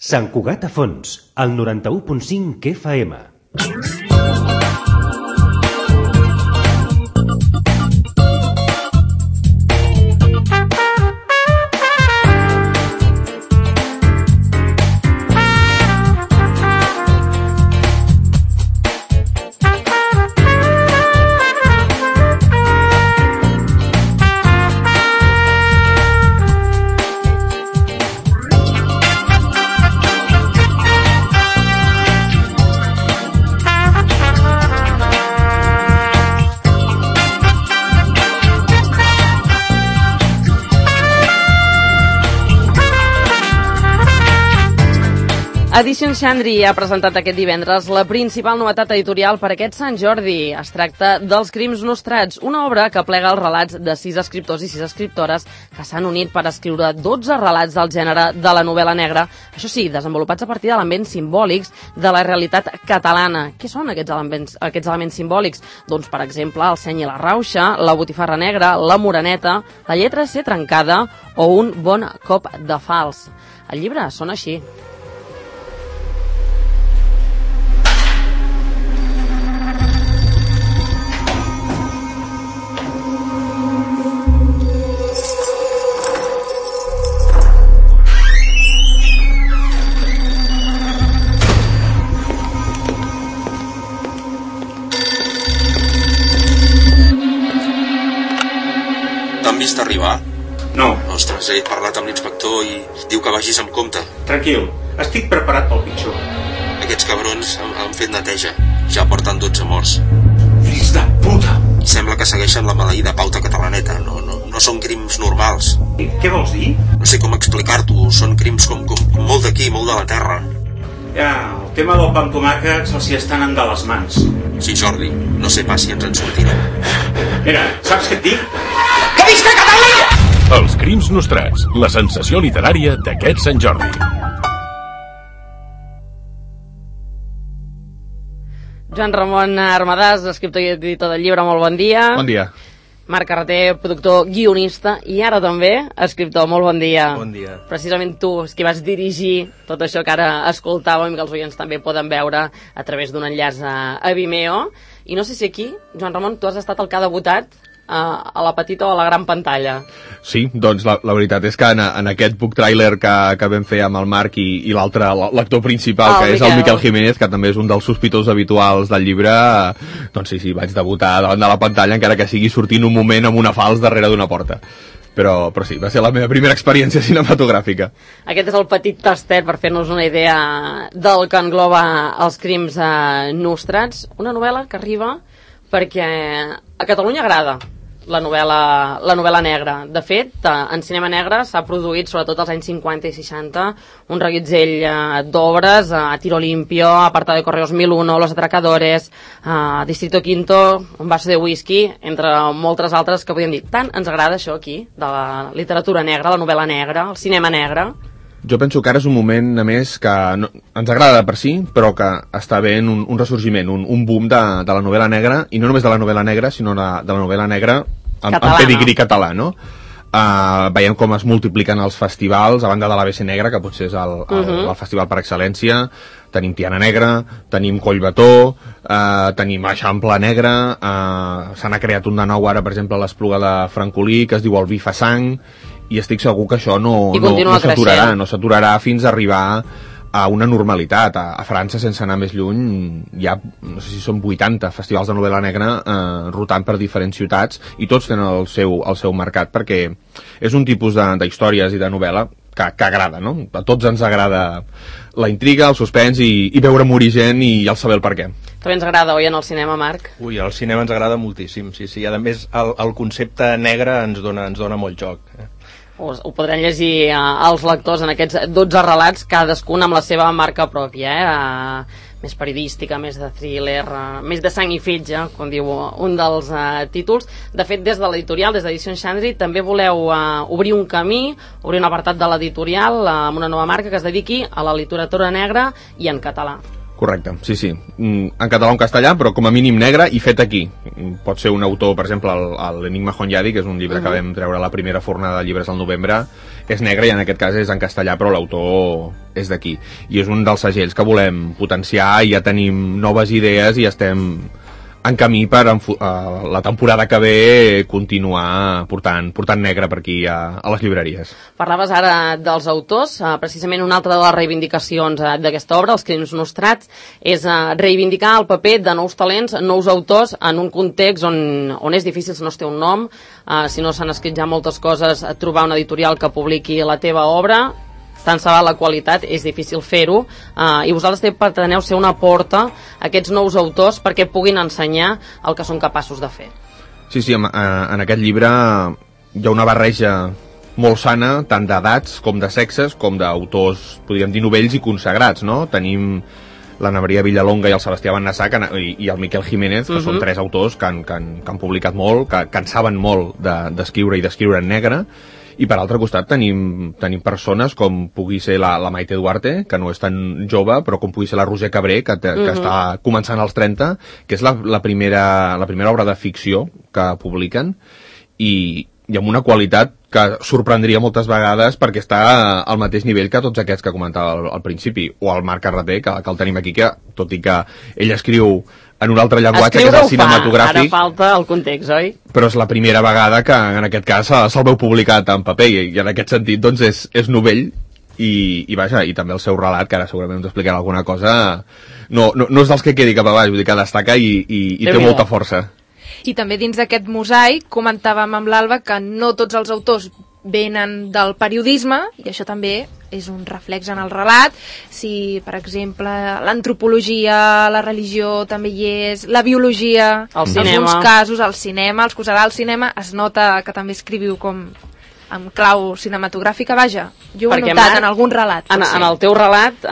Sant Cugat a Fons, al 91.5 FM. Edicions Xandri ha presentat aquest divendres la principal novetat editorial per aquest Sant Jordi. Es tracta dels Crims Nostrats, una obra que plega els relats de 6 escriptors i 6 escriptores que s'han unit per escriure 12 relats del gènere de la novel·la negra, això sí, desenvolupats a partir d'elements simbòlics de la realitat catalana. Què són aquests elements simbòlics? Doncs, per exemple, el seny i la rauxa, la botifarra negra, la moreneta, la lletra C trencada o un bon cop de fals. El llibre sona així. Vist arribar? No. Ostres, he parlat amb l'inspector i diu que vagis amb compte. Tranquil, estic preparat pel pitjor. Aquests cabrons han fet neteja. Ja porten 12 morts. Fills de puta! Sembla que segueixen la maleïda pauta catalaneta. No són crims normals. I què vols dir? No sé com explicar-t'ho. Són crims com molt d'aquí, molt de la terra. Ja, el tema del pa amb tomàquet se'ls hi estan de les mans. Sí, Jordi, no sé pas si ens en sortirem. Mira, saps què et dic? Que visca Catalunya! Els Crims Nostrats, la sensació literària d'aquest Sant Jordi. Joan Ramon Armadàs, escriptor i editor del llibre, molt bon dia. Bon dia. Marc Carreter, productor, guionista i ara també escriptor, molt bon dia. Bon dia. Precisament tu, és qui vas dirigir tot això que ara escoltàvem i que els oients també poden veure a través d'un enllaç a Vimeo. I no sé si aquí, Joan Ramon, tu has estat el que ha debutat a la petita o a la gran pantalla. Sí, doncs la veritat és que en aquest book trailer que vam fer amb el Marc i l'altre, l'actor principal, que és el Miquel Jiménez, que també és un dels sospitosos habituals del llibre, doncs sí, vaig debutar davant de la pantalla, encara que sigui sortint un moment amb una falç darrere d'una porta. Però sí, va ser la meva primera experiència cinematogràfica. Aquest és el petit tastet per fer-nos una idea del que engloba els Crims Nostrats, una novel·la que arriba perquè a Catalunya agrada la novel·la negra. De fet, en cinema negre s'ha produït, sobretot als anys 50 i 60, un reguitzell d'obres, a Tiro Limpio, Apartado de Correos 1001, Los Atracadores, Distrito Quinto, Un vaso de whisky, entre moltes altres que podríem dir. Tant ens agrada això aquí, de la literatura negra, la novel·la negra, el cinema negre. Jo penso que ara és un moment, a més, que ens agrada per si, però que està havent un ressorgiment, un boom de la novel·la negra, i no només de la novel·la negra, sinó de la novel·la negra amb pedigrí català, no? Veiem com es multipliquen els festivals, a banda de l'ABC Negra, que potser és el festival per excel·lència. Tenim Tiana Negra, tenim Collbató, tenim Eixample Negra, se n'ha creat un de nou ara, per exemple, a l'Espluga de Francolí, que es diu El Vi fa sang, i estic segur que això no s'aturarà fins a arribar a una normalitat. A França, sense anar més lluny, hi ha, no sé si són 80 festivals de novel·la negra rotant per diferents ciutats, i tots tenen el seu mercat, perquè és un tipus d'històries i de novel·la que agrada, no? A tots ens agrada la intriga, el suspens i veure morir gent i el saber el per què. També ens agrada, oi, en el cinema, Marc? Ui, al cinema ens agrada moltíssim, sí. A més, el concepte negre ens dona molt joc. Ho podran llegir els lectors en aquests 12 relats, cadascun amb la seva marca pròpia, més periodística, més de thriller, més de sang i fetge, com diu un dels títols. De fet, des de l'editorial, des d'Edicions Xandri, també voleu obrir un camí, obrir un apartat de l'editorial amb una nova marca que es dediqui a la literatura negra i en català. Correcte, sí. En català o en castellà, però com a mínim negre i fet aquí. Pot ser un autor, per exemple, l'Enigma Honyadi, que és un llibre que vam treure a la primera fornada de llibres al novembre, és negre i en aquest cas és en castellà, però l'autor és d'aquí. I és un dels segells que volem potenciar i ja tenim noves idees i estem en camí per la temporada que ve continuar portant negre per aquí a les llibreries. Parlaves ara dels autors, precisament una altra de les reivindicacions d'aquesta obra, Els crims nostrats, és reivindicar el paper de nous talents, nous autors, en un context on és difícil, si no es té un nom, si no s'han escrit ja moltes coses, trobar una editorial que publiqui la teva obra, tant se val la qualitat, és difícil fer-ho, i vosaltres preteneu ser una porta a aquests nous autors perquè puguin ensenyar el que són capaços de fer. Sí, en aquest llibre hi ha una barreja molt sana, tant d'edats com de sexes, com d'autors, podríem dir, novells i consagrats, no? Tenim l'Anna Maria Villalonga i el Sebastià Bennassac i el Miquel Jiménez, que són tres autors que han publicat molt, que en saben molt d'escriure i d'escriure en negre. I per altre costat tenim persones com pugui ser la Maite Duarte, que no és tan jove, però com pugui ser la Roser Cabré, que està començant als 30, que és la primera obra de ficció que publiquen, i amb una qualitat que sorprendria moltes vegades perquè està al mateix nivell que tots aquests que comentava al principi, o el Marc Carreter, que el tenim aquí, que tot i que ell escriu en un altre llenguatge, que és el cinematogràfic. Ara falta el context, oi? Però és la primera vegada que en aquest cas se'l veu publicat en paper i en aquest sentit doncs és novell i vaja, i també el seu relat, que ara segurament ens explicarà alguna cosa, no és dels que quedi cap a baix, vull dir que destaca i té molta força. I també dins d'aquest mosaic comentàvem amb l'Alba que no tots els autors venen del periodisme, i això també és un reflex en el relat. Si, per exemple, l'antropologia, la religió també hi és, la biologia, el cinema. En alguns casos el cinema, els cosarà el cinema, es nota que també escriviu com amb clau cinematogràfica, vaja. Jo ho he notat en algun relat. En el teu relat,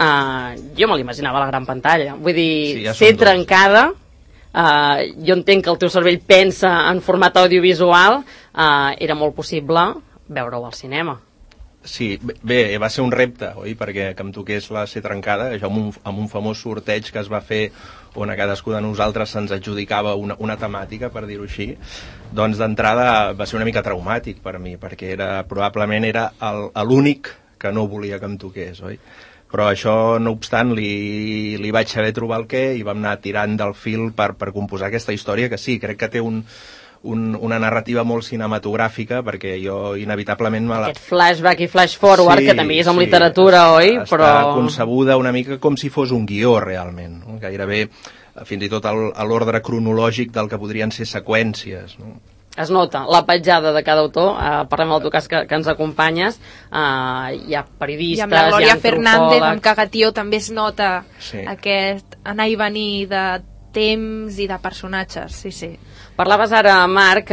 jo me l'imaginava a la gran pantalla. Vull dir, ser trencada, jo entenc que el teu cervell pensa en format audiovisual, era molt possible veure-ho al cinema. Sí, bé, va ser un repte, oi? Perquè que em toqués la Ser trencada, això amb un famós sorteig que es va fer on a cadascú de nosaltres se'ns adjudicava una temàtica, per dir-ho així, doncs d'entrada va ser una mica traumàtic per mi, perquè probablement era l'únic que no volia que em toqués, oi? Però això, no obstant, li vaig saber trobar el què i vam anar tirant del fil per composar aquesta història, que sí, crec que té una narrativa molt cinematogràfica, perquè jo inevitablement aquest flashback i flash forward, que també és amb literatura, oi? Està concebuda una mica com si fos un guió, realment, no? Gairebé fins i tot a l'ordre cronològic del que podrien ser seqüències, no? Es nota la petjada de cada autor, parlem del teu cas que ens acompanyes, hi ha periodistes, i amb la Glòria Fernández, amb Cagatió, també es nota aquest anar i venir de temps i de personatges, sí. Parlaves ara, Marc,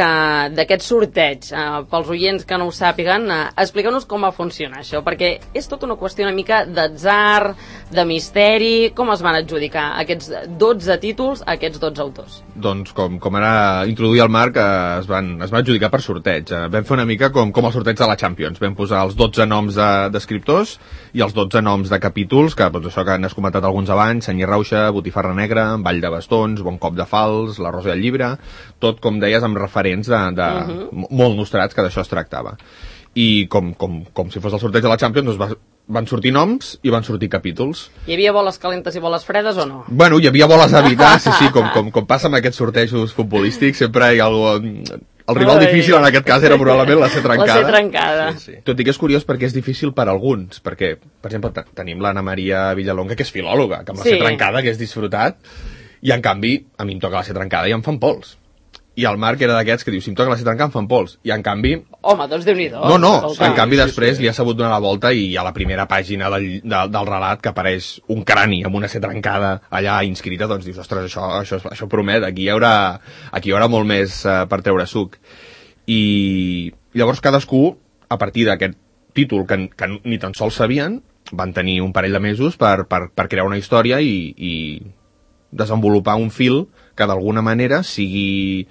d'aquest sorteig. Pels oients que no ho sàpiguen, explica-nos com va funcionar això, perquè és tota una qüestió una mica d'atzar, de misteri. Com es van adjudicar aquests 12 títols a aquests 12 autors? Doncs, com ara introduïa el Marc, es van adjudicar per sorteig. Vam fer una mica com el sorteig de la Champions. Vam posar els 12 noms d'escriptors i els 12 noms de capítols, que doncs això que n'has comentat alguns abans, Senyir Rauxa, Botifarra Negra, Vall de Bastons, Bon Cop de Fals, La Rosa i el Llibre, tot, com deies, amb referents molt nostrats, que d'això es tractava. I com si fos el sorteig de la Champions, doncs van sortir noms i van sortir capítols. Hi havia boles calentes i boles fredes o no? Bueno, hi havia boles a evitar, sí, com passa amb aquests sortejos futbolístics, sempre hi ha algú... El rival difícil en aquest cas era probablement la Ser trencada. La Ser trencada. Sí. Tot i que és curiós perquè és difícil per alguns, perquè, per exemple, tenim l'Anna Maria Villalonga, que és filòloga, que amb la Ser trencada hagués disfrutat, i en canvi, a mi em toca la Ser trencada i em fan pols. I el Marc era d'aquests que diu, si em toca la Ser trencada em fan pols. I en canvi... Home, doncs Déu-n'hi-do. No, en canvi després li ha sabut donar la volta i a la primera pàgina del relat que apareix un crani amb una Ser trencada allà inscrita, doncs dius, ostres, això promet, aquí hi haurà molt més per treure suc. I llavors cadascú, a partir d'aquest títol que ni tan sols sabien, van tenir un parell de mesos per crear una història i desenvolupar un fil que d'alguna manera sigui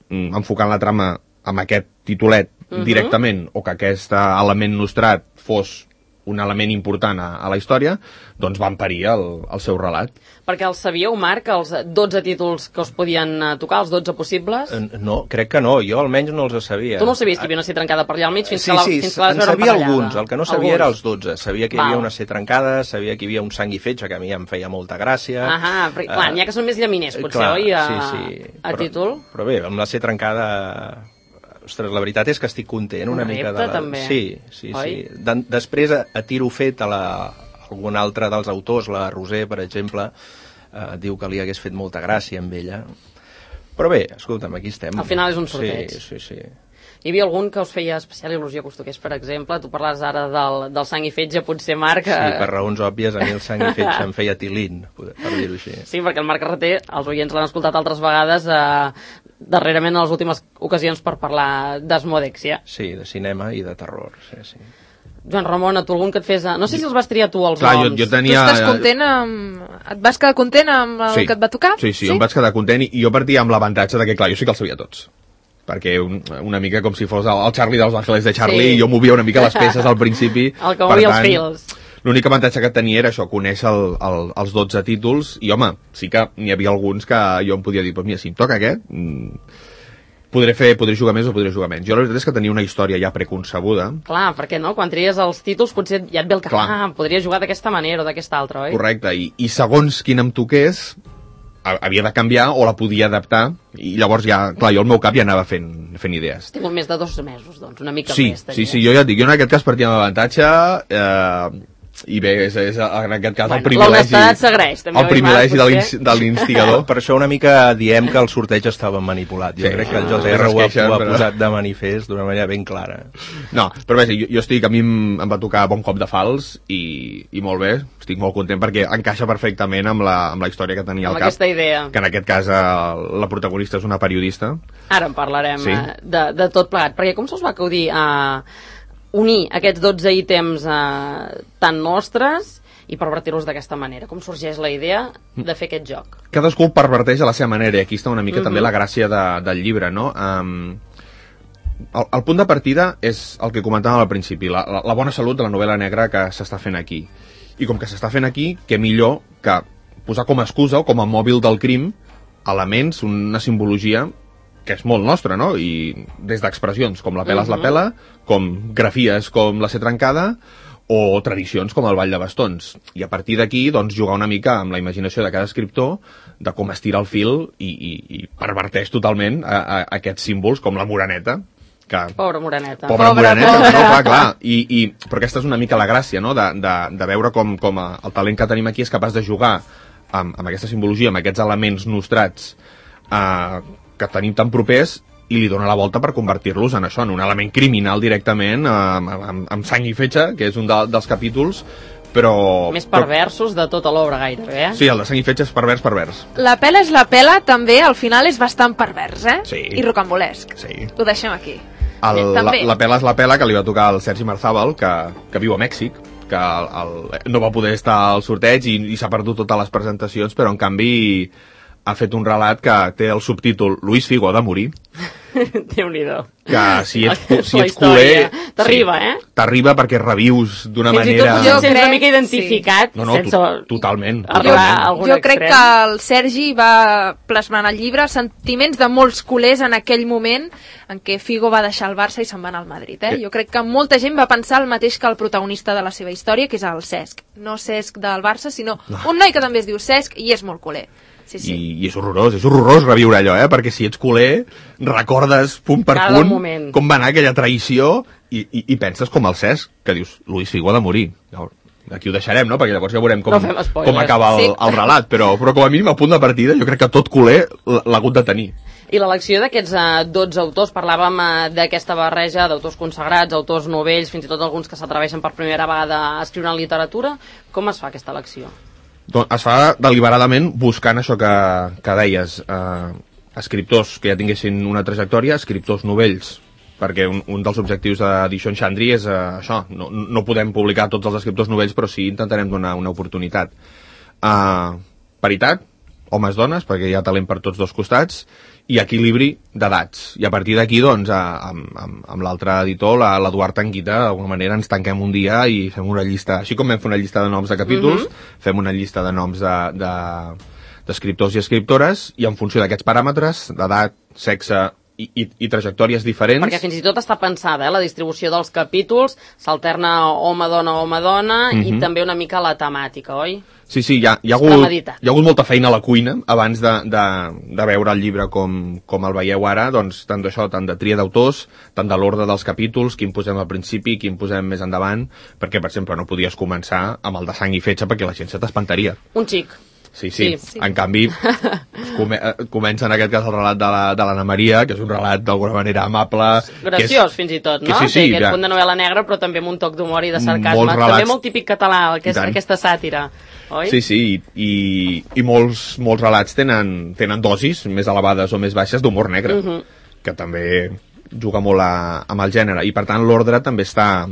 enfocant la trama amb aquest titulet directament, o que aquest element nostrat fos un element important a la història, doncs van parir el seu relat. Perquè els sabíeu, Marc, els 12 títols que us podien tocar, els 12 possibles? No, crec que no, jo almenys no els sabia. Tu no sabies que hi havia una C trencada per allà al mig fins que la Sí, vas veure en sabia emparellada. alguns, el que no sabia era els 12. Sabia que hi havia Val. una C trencada, sabia que hi havia un sang i fetge, que a mi em feia molta gràcia. Perquè, clar, n'hi ha que són més llaminers, potser, clar, oi, a títol? Però bé, amb la C trencada... Ostres, la veritat és que estic content una mica de... també. Sí. Després, a tiro fet, algun altre dels autors, la Roser, per exemple, diu que li hagués fet molta gràcia amb ella. Però bé, escolta'm, aquí estem. Al final és un sorteig. Sí. Hi havia algun que us feia especial il·lusió que us toqués, per exemple? Tu parlaves ara del sang i fetge, potser, Marc... Sí, per raons òbvies, a mi el sang i fetge em feia tilín, per dir-ho així. Sí, perquè el Marc Carreter, els oients l'han escoltat altres vegades, darrerament en les últimes ocasions per parlar d'Asmodèxia. Sí, de cinema i de terror, sí. Joan Ramon, a tu algun que et fes... No sé si els vas triar tu, els Clar, noms. jo tenia... Tu estàs content amb... Et vas quedar content amb el que et va tocar? Sí, em vaig quedar content i jo partia amb l'avantatge de que, clar, jo sí que els sabia tots. Perquè una mica com si fos el Charlie dels Ángeles de Charlie, i jo movia una mica les peces al principi. El que movia els fils. L'únic avantatge que tenia era això, conèixer els 12 títols, i home, sí que n'hi havia alguns que jo em podia dir, doncs mira, si em toca aquest, podré jugar més o podré jugar menys. Jo la veritat és que tenia una història ja preconcebuda. Clar, perquè no, quan tries els títols potser ja et ve el que podria jugar d'aquesta manera o d'aquesta altra, oi? Correcte, i segons quin em toqués, havia de canviar o la podia adaptar, i llavors ja, clar, jo al meu cap ja anava fent idees. Has tingut més de 2 mesos, doncs, una mica més. Sí, jo ja et dic, jo en aquest cas partia amb avantatge, i bé, és en aquest cas el privilegi de l'instigador. Per això una mica diem que el sorteig estava manipulat. Jo crec que el José R ho ha posat de manifest d'una manera ben clara. No, però bé, jo estic, a mi em va tocar bon cop de fals i molt bé, estic molt content perquè encaixa perfectament amb la història que tenia al cap. Amb aquesta idea. Que en aquest cas la protagonista és una periodista. Ara en parlarem de tot plegat, perquè com se'ls va acudir a unir aquests 12 ítems tan nostres i pervertir-los d'aquesta manera? Com sorgeix la idea de fer aquest joc? Cadascú el perverteix a la seva manera, i aquí està una mica també la gràcia del llibre, no? El punt de partida és el que comentàvem al principi, la bona salut de la novel·la negra que s'està fent aquí. I com que s'està fent aquí, què millor que posar com a excusa o com a mòbil del crim elements, una simbologia que és molt nostra, no? I des d'expressions com la pela és la pela, com grafies com la C trencada, o tradicions com el ball de bastons. I a partir d'aquí, doncs, jugar una mica amb la imaginació de cada escriptor de com estira el fil i perverteix totalment aquests símbols com la moreneta. Pobra moreneta. Pobra moreneta, no? Clar. Però aquesta és una mica la gràcia, no? De veure com el talent que tenim aquí és capaç de jugar amb aquesta simbologia, amb aquests elements nostrats que tenim tan propers, i li dona la volta per convertir-los en això, en un element criminal directament, amb sang i fetge, que és un dels capítols, però... Més perversos de tota l'obra, gairebé, Sí, el de sang i fetge és pervers. La pela és la pela, també, al final és bastant pervers, Sí. I rocambolesc. Sí. Ho deixem aquí. La pela és la pela, que li va tocar al Sergi Marzàbal, que viu a Mèxic, que no va poder estar al sorteig i s'ha perdut totes les presentacions, però en canvi ha fet un relat que té el subtítol Luis Figo ha de morir. Déu-n'hi-do. Que si ets culer... T'arriba, T'arriba perquè revius d'una manera... Fins i tot jo sents una mica identificat. Totalment. Jo crec que el Sergi va plasmar en el llibre sentiments de molts culers en aquell moment en què Figo va deixar el Barça i se'n va anar al Madrid. Jo crec que molta gent va pensar el mateix que el protagonista de la seva història, que és el Cesc. No Cesc del Barça, sinó un noi que també es diu Cesc i és molt culer. Sí. I és horrorós reviure allò, perquè si ets culer recordes punt per punt com va anar aquella traïció i penses com el Cesc, que dius, Luis Figo ha de morir. Aquí ho deixarem, no? Perquè llavors ja veurem com acaba el relat, però com a mínim a punt de partida jo crec que tot culer l'ha hagut de tenir. I l'elecció d'aquests 12 autors, parlàvem d'aquesta barreja d'autors consagrats, autors novells, fins i tot alguns que s'atreveixen per primera vegada a escriure en literatura, com es fa aquesta elecció? Doncs es fa deliberadament buscant això que deies, escriptors que ja tinguessin una trajectòria, escriptors novells, perquè un dels objectius d'Edicions Xandri és això, no podem publicar tots els escriptors novells, però sí intentarem donar una oportunitat. Paritat, homes-dones, perquè hi ha talent per tots dos costats, i equilibri d'edats. I a partir d'aquí, doncs, amb l'altre editor, l'Eduard Tanquita, d'alguna manera ens tanquem un dia i fem una llista, així com vam fer una llista de noms de capítols, fem una llista de noms d'escriptors i escriptores, i en funció d'aquests paràmetres, d'edat, sexe i trajectòries diferents... Perquè fins i tot està pensada, la distribució dels capítols, s'alterna home-dona, i també una mica la temàtica, oi? Sí, hi ha hagut molta feina a la cuina abans de veure el llibre com el veieu ara, doncs tant d'això, tant de tria d'autors, tant de l'ordre dels capítols, quin posem al principi, quin posem més endavant, perquè, per exemple, no podies començar amb el de sang i fetge perquè la gent se t'espantaria. Un xic. Sí. En canvi, comença en aquest cas el relat de l'Anna Maria, que és un relat d'alguna manera amable... Graciós, fins i tot, no? Sí, té aquest punt de novel·la negra, però també amb un toc d'humor i de sarcasme. També molt típic català, aquesta sàtira, oi? Sí, i molts relats tenen dosis més elevades o més baixes d'humor negre, que també juga molt amb el gènere, i per tant l'ordre també està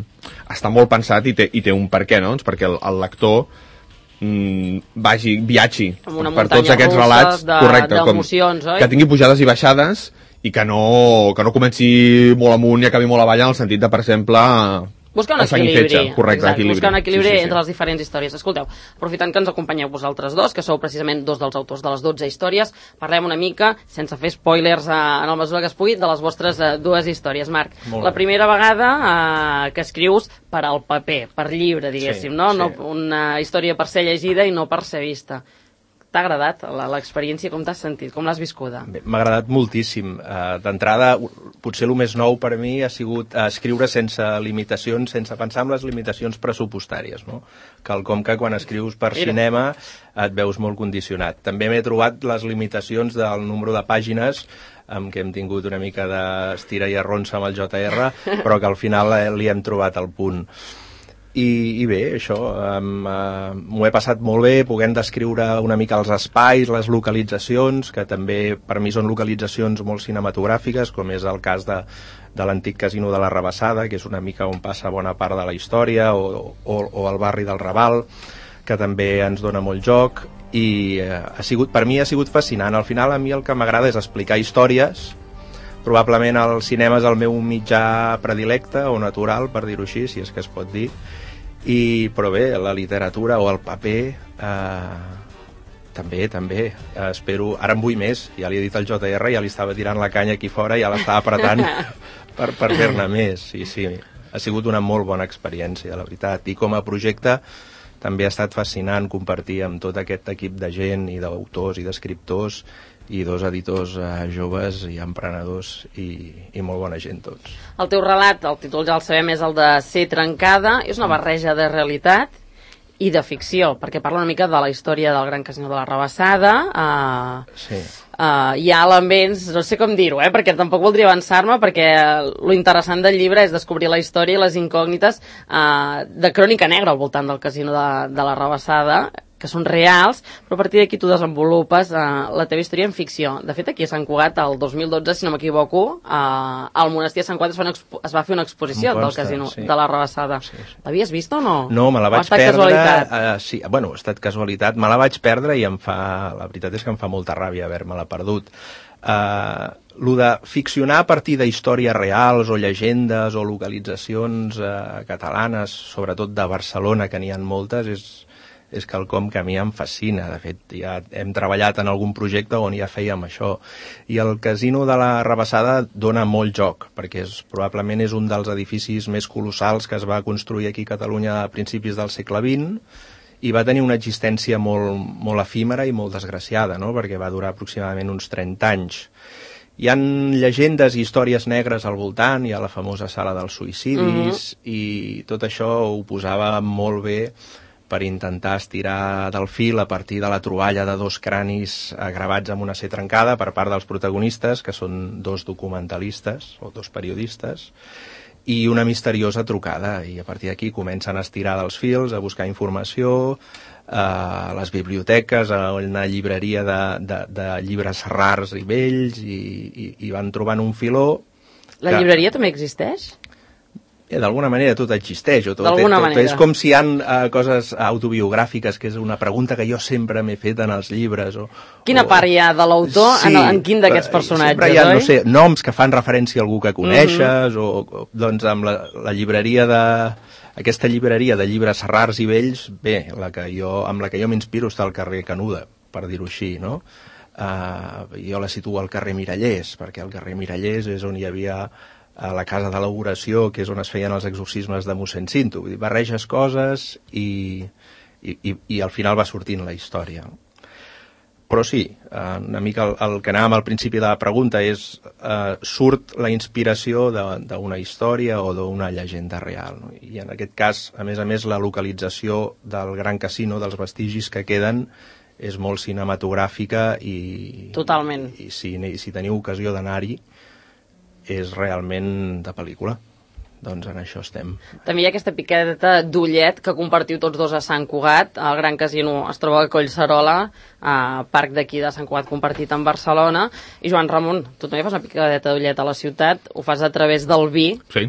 molt pensat i té un per què, no? Perquè el lector viatgi per tots aquests relats, correcte, que tingui pujades i baixades i que no comenci molt amunt i acabi molt avall, en el sentit de, per exemple, buscar un equilibri, buscar un equilibri entre les diferents històries. Escolteu, aprofitant que ens acompanyeu vosaltres dos, que sou precisament dos dels autors de les 12 històries, parlem una mica, sense fer spoilers en la mesura que es pugui, de les vostres dues històries. Marc, la primera vegada que escrius per al paper, per llibre, diguéssim, no? Una història per ser llegida i no per ser vista. T'ha agradat l'experiència? Com t'has sentit? Com l'has viscuda? M'ha agradat moltíssim. D'entrada, potser el més nou per a mi ha sigut escriure sense limitacions, sense pensar en les limitacions pressupostàries, no? Quelcom que quan escrius per cinema et veus molt condicionat. També m'he trobat les limitacions del número de pàgines, amb què hem tingut una mica d'estira i arronsa amb el JR, però que al final li hem trobat el punt. I bé, això, m'ho he passat molt bé, podent descriure una mica els espais, les localitzacions, que també per mi són localitzacions molt cinematogràfiques, com és el cas de l'antic casino de la Rabassada, que és una mica on passa bona part de la història, o el barri del Raval, que també ens dona molt joc, i per mi ha sigut fascinant. Al final a mi el que m'agrada és explicar històries. Probablement el cinema és el meu mitjà predilecte o natural, per dir-ho així, si és que es pot dir, però bé, la literatura o el paper també espero, ara en vull més, ja li he dit al JR, ja li estava tirant la canya aquí fora, ja l'estava apretant per fer-ne més. Sí, ha sigut una molt bona experiència, la veritat, i com a projecte també ha estat fascinant compartir amb tot aquest equip de gent i d'autors i d'escriptors i dos editors joves i emprenedors i molt bona gent tots. El teu relat, el títol ja el sabem, és el de Ser trencada, és una barreja de realitat i de ficció, perquè parla una mica de la història del Gran Casino de la Rabassada. Hi ha elements, no sé com dir-ho, perquè tampoc voldria avançar-me, perquè lo interessant del llibre és descobrir la història i les incògnites de crònica negra al voltant del Casino de la Rabassada, que són reals, però a partir d'aquí tu desenvolupes la teva història en ficció. De fet, aquí a Sant Cugat, el 2012, si no m'equivoco, al monestir de Sant Cugat es va fer una exposició del Casino de la Rabassada. L'havies vist o no? No, me la vaig perdre. Sí, bueno, ha estat casualitat. Me la vaig perdre i la veritat és que em fa molta ràbia haver-me-la perdut. Lo de ficcionar a partir d'històries reals o llegendes o localitzacions catalanes, sobretot de Barcelona, que n'hi ha moltes, és quelcom que a mi em fascina. De fet, ja hem treballat en algun projecte on ja fèiem això. I el Casino de la Rabassada dona molt joc, perquè probablement és un dels edificis més colossals que es va construir aquí a Catalunya a principis del segle XX i va tenir una existència molt efímera i molt desgraciada, no? Perquè va durar aproximadament uns 30 anys. Hi ha llegendes i històries negres al voltant, hi ha la famosa sala dels suïcidis, i tot això ho posava molt bé per intentar estirar del fil a partir de la troballa de dos cranis gravats amb una C trencada per part dels protagonistes, que són dos documentalistes o dos periodistes, i una misteriosa trucada, i a partir d'aquí comencen a estirar dels fils, a buscar informació, a les biblioteques, a una llibreria de llibres rars i vells, i van trobant un filó. La llibreria també existeix? D'alguna manera tot existeix, o tot és com si hi ha coses autobiogràfiques, que és una pregunta que jo sempre m'he fet en els llibres. Quina part hi ha de l'autor en quin d'aquests personatges, sempre hi ha, no sé, noms que fan referència a algú que coneixes, o doncs amb la llibreria aquesta llibreria de llibres rars i vells, bé, amb la que jo m'inspiro està al carrer Canuda, per dir-ho així, no? Jo la situo al carrer Mirallers, perquè al carrer Mirallers és on hi havia a la casa de l'Auració, que és on es feien els exorcismes de mossèn Cinto. Vull dir, barreges coses i al final va sortint la història. Però sí, una mica el que anàvem al principi de la pregunta és surt la inspiració d'una història o d'una llegenda real, no? I en aquest cas, a més, la localització del Gran Casino, dels vestigis que queden, és molt cinematogràfica i... Totalment. I si teniu ocasió d'anar-hi, és realment de pel·lícula. Doncs en això estem. També hi ha aquesta piqueta d'ullet que compartiu tots dos a Sant Cugat. El Gran Casino es troba a Collserola, parc d'aquí de Sant Cugat compartit amb Barcelona. I Joan Ramon, tu també fas una piqueta d'ullet a la ciutat, ho fas a través del vi. Sí.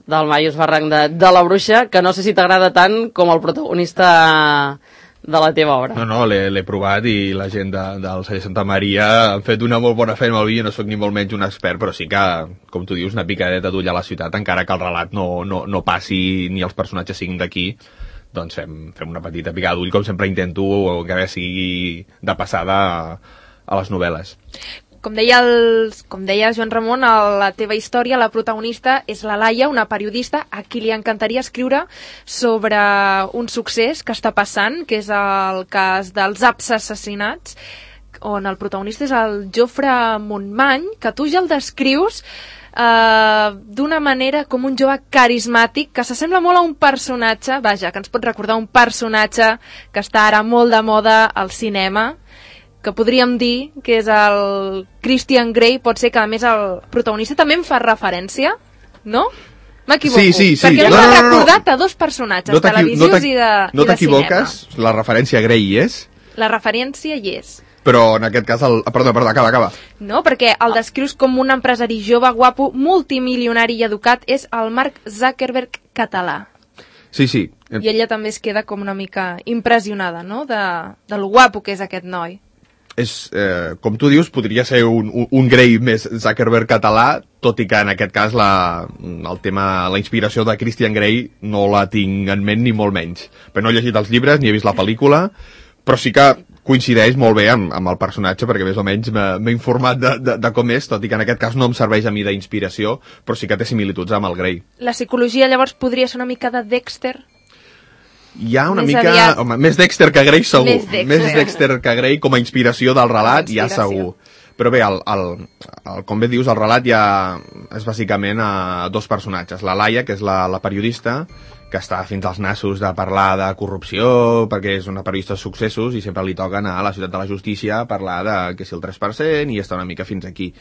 Del Maius Barranc de la Bruixa, que no sé si t'agrada tant com el protagonista de la teva obra. No, l'he provat i la gent del celler Santa Maria han fet una molt bona feina amb el vi, no sóc ni molt menys un expert, però sí que, com tu dius, una picadeta d'ull a la ciutat, encara que el relat no passi ni els personatges siguin d'aquí, doncs fem una petita picada d'ull, com sempre intento que sigui de passada a les novel·les. Com deia Joan Ramon, a la teva història la protagonista és la Laia, una periodista a qui li encantaria escriure sobre un succés que està passant, que és el cas dels apps assassinats, on el protagonista és el Jofre Montmany, que tu ja el descrius d'una manera com un jove carismàtic que s'assembla molt a un personatge, vaja, que ens pot recordar un personatge que està ara molt de moda al cinema, que podríem dir que és el Christian Grey, pot ser que a més el protagonista també en fa referència, no? M'equivoco? Sí. Perquè m'ha recordat a dos personatges televisius i de cinema. No t'equivoques, la referència a Grey hi és? La referència hi és. Però en aquest cas... Perdó, acaba. No, perquè el descrius com un empresari jove, guapo, multimilionari i educat, és el Mark Zuckerberg català. Sí. I ella també es queda com una mica impressionada, no?, de lo guapo que és aquest noi. És, com tu dius, podria ser un Grey més Zuckerberg català, tot i que en aquest cas la inspiració de Christian Grey no la tinc en ment ni molt menys. Però no he llegit els llibres ni he vist la pel·lícula, però sí que coincideix molt bé amb el personatge, perquè més o menys m'he informat de com és, tot i que en aquest cas no em serveix a mi d'inspiració, però sí que té similituds amb el Grey. La psicologia llavors podria ser una mica de Dexter? Hi ha una mica... Home, més Dexter que Grey segur. Més Dexter que Grey com a inspiració del relat, ja segur. Però bé, com bé dius, el relat ja és bàsicament a dos personatges. La Laia, que és la periodista, que està fins als nassos de parlar de corrupció, perquè és una periodista de successos i sempre li toca anar a la ciutat de la justícia a parlar de que si el 3% i està una mica fins aquí.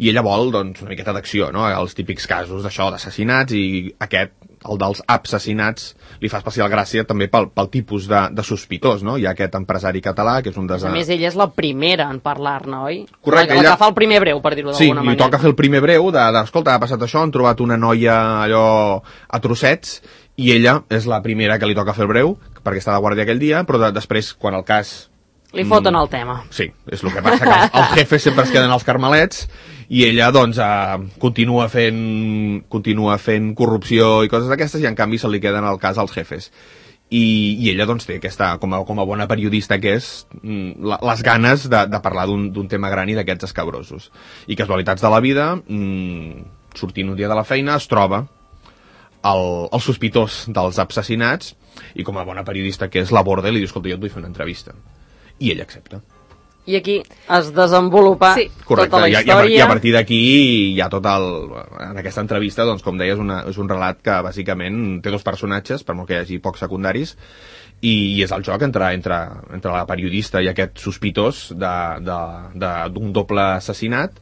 I ella vol, doncs, una miqueta d'acció, no?, els típics casos d'això, d'assassinats, i aquest, el dels assassinats, li fa especial gràcia també pel tipus de sospitós, no? Hi ha aquest empresari català, que és un A més, ella és la primera en parlar-ne, oi? Correcte. La que fa el primer breu, per dir-ho d'alguna manera. Sí, li toca fer el primer breu escolta, ha passat això, han trobat una noia allò a trossets, i ella és la primera que li toca fer el breu, perquè està de guàrdia aquell dia, però després, quan el cas... Li foten el tema. Sí, és el que passa, que els jefes sempre es queden als carmelets, i ella, doncs, continua fent corrupció i coses d'aquestes, i en canvi se li queden al cas als jefes. I ella, doncs, té aquesta, com a bona periodista que és, les ganes de parlar d'un tema gran i d'aquests escabrosos. I casualitats de la vida, sortint un dia de la feina, es troba el sospitós dels assassinats, i com a bona periodista que és, l'aborda i li diu, escolta, jo et vull fer una entrevista. I ella accepta. I aquí es desenvolupa tota la història. I a partir d'aquí hi ha en aquesta entrevista, doncs, com deies, és un relat que bàsicament té dos personatges, per molt que hi hagi pocs secundaris, i és el joc entre la periodista i aquest sospitós d'un doble assassinat,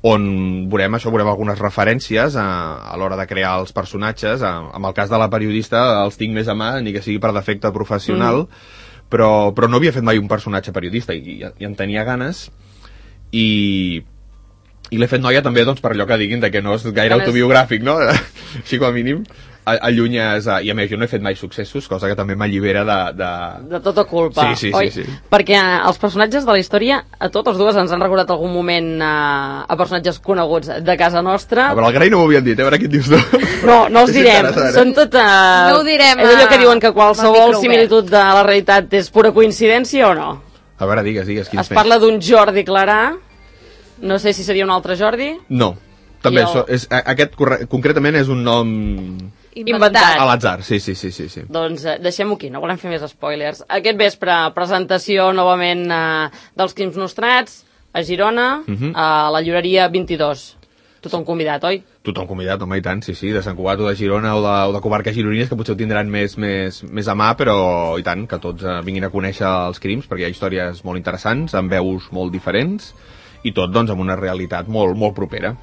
on veurem algunes referències a l'hora de crear els personatges. En el cas de la periodista els tinc més a mà, ni que sigui per defecte professional, però no havia fet mai un personatge periodista i en tenia ganes, i I l'he fet noia també doncs, per allò que diguin de que no és gaire autobiogràfic, no? Així com a mínim allunyes, i a més jo no he fet mai successos, cosa que també m'allibera de tota culpa, sí. Perquè els personatges de la història a totes dues ens han recordat algun moment a personatges coneguts de casa nostra. A veure, el Gray no m'ho havien dit, a veure què et dius tu. No els direm, són tot no ho direm, és allò que diuen que qualsevol similitud de la realitat és pura coincidència o no? A veure, digues es parla d'un Jordi Clarà, no sé si seria un altre Jordi. No, també aquest concretament és un nom inventat. A l'atzar, sí. Doncs deixem-ho aquí, no volem fer més spoilers. Aquest vespre, presentació novament dels Crims Nostrats a Girona, a la llibreria 22. Tothom convidat, oi? Tothom convidat, home, i tant, sí, de Sant Cugat o de Girona o de comarques gironines, que potser ho tindran més a mà, però i tant, que tots vinguin a conèixer els crims, perquè hi ha històries molt interessants, amb veus molt diferents, i tot, doncs, amb una realitat molt, molt propera.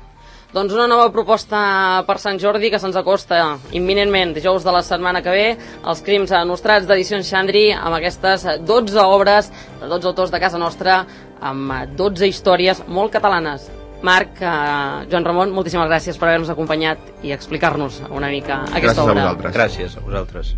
Doncs una nova proposta per Sant Jordi que se'ns acosta imminentment, dijous de la setmana que ve, els Crims Nostrats d'Edicions Xandri, amb aquestes 12 obres de 12 autors de casa nostra, amb 12 històries molt catalanes. Marc, Joan Ramon, moltíssimes gràcies per haver-nos acompanyat i explicar-nos una mica aquesta obra. Gràcies a vosaltres.